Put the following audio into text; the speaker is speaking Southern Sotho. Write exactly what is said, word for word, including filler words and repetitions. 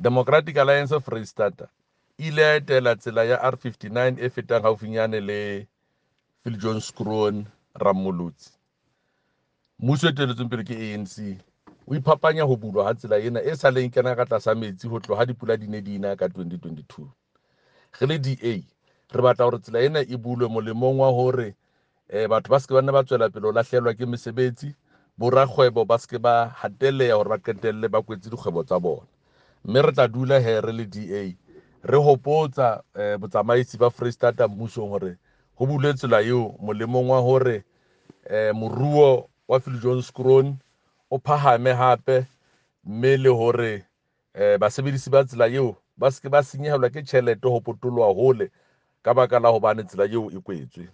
Democratic Alliance Freistata e ile ya etela tsela ya R fifty-nine e fetang haufinyane le Viljoenskroon Rammolotsi. Mmuso e eteletsweng pele ke A N C o iphapanya ho bulwa ha tsela ena e sa leng kena ka tlasa metsi ho tloha dipula di ne di na ka twenty twenty-two. Re le D A re batla hore tsela ena e bulwe molemong wa hore, eh, batho ba se ke ba nna ba tswela pele ho lahlehelwa ke mesebetsi, borakgwebo ba se ke ba hatelleha hore ba qetelle ba kwetse dikgwebo tsa bona. Mme re tla dula he re le D A re hopotsa, eh, botsamaisi ba Freistata mmusong hore ho bulwe tsela eo molemong wa hore, eh, moruo wa Viljoenskroon o phahame hape, mme le hore, eh, basebedisi ba tsela eo ba se ke ba senyehelwa ke tjhelete ho potoloha hole ka baka la hobane tsela eo e kwetswe.